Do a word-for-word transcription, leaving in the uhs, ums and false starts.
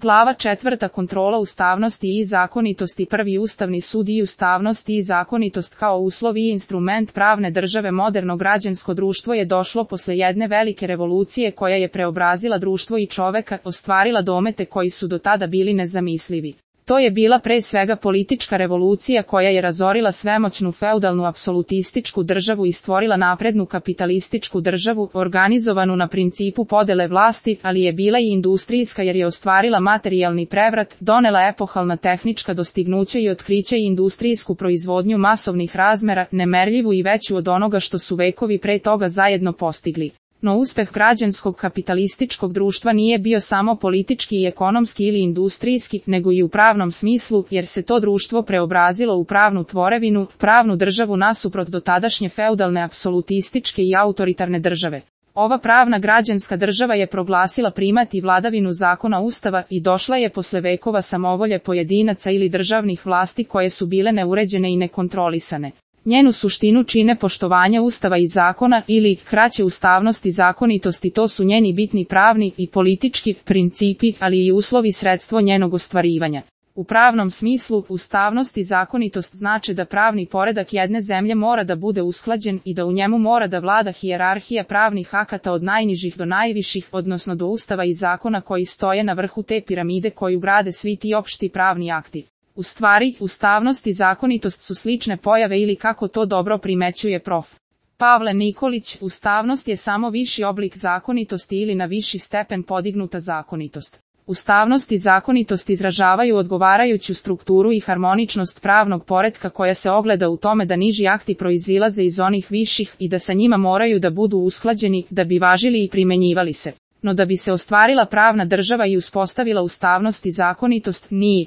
Glava četvrta Kontrola ustavnosti i zakonitosti. Prvi Ustavni sud i ustavnost i zakonitost kao uslov i instrument pravne države. Moderno građansko društvo je došlo posle jedne velike revolucije koja je preobrazila društvo i čoveka, ostvarila domete koji su do tada bili nezamislivi. To je bila pre svega politička revolucija koja je razorila svemoćnu feudalnu apsolutističku državu i stvorila naprednu kapitalističku državu, organizovanu na principu podele vlasti, ali je bila i industrijska jer je ostvarila materijalni prevrat, donela epohalna tehnička dostignuća i otkriće i industrijsku proizvodnju masovnih razmera, nemerljivu i veću od onoga što su vekovi pre toga zajedno postigli. No uspeh građanskog kapitalističkog društva nije bio samo politički i ekonomski ili industrijski, nego i u pravnom smislu, jer se to društvo preobrazilo u pravnu tvorevinu, pravnu državu nasuprot dotadašnje feudalne apsolutističke i autoritarne države. Ova pravna građanska država je proglasila primat i vladavinu zakona Ustava i došla je posle vekova samovolje pojedinaca ili državnih vlasti koje su bile neuređene i nekontrolisane. Njenu suštinu čine poštovanje Ustava i zakona ili, kraće, ustavnost i zakonitost i to su njeni bitni pravni i politički principi, ali i uslovi i sredstvo njenog ostvarivanja. U pravnom smislu, ustavnost i zakonitost znače da pravni poredak jedne zemlje mora da bude usklađen i da u njemu mora da vlada hijerarhija pravnih akata od najnižih do najviših, odnosno do Ustava i zakona koji stoje na vrhu te piramide koju grade svi ti opšti pravni akti. U stvari, ustavnost i zakonitost su slične pojave ili kako to dobro primećuje prof. Pavle Nikolić, ustavnost je samo viši oblik zakonitosti ili na viši stepen podignuta zakonitost. Ustavnost i zakonitost izražavaju odgovarajuću strukturu i harmoničnost pravnog poretka koja se ogleda u tome da niži akti proizilaze iz onih viših i da sa njima moraju da budu usklađeni, da bi važili i primenjivali se. No da bi se ostvarila pravna država i uspostavila ustavnost i zakonitost, nije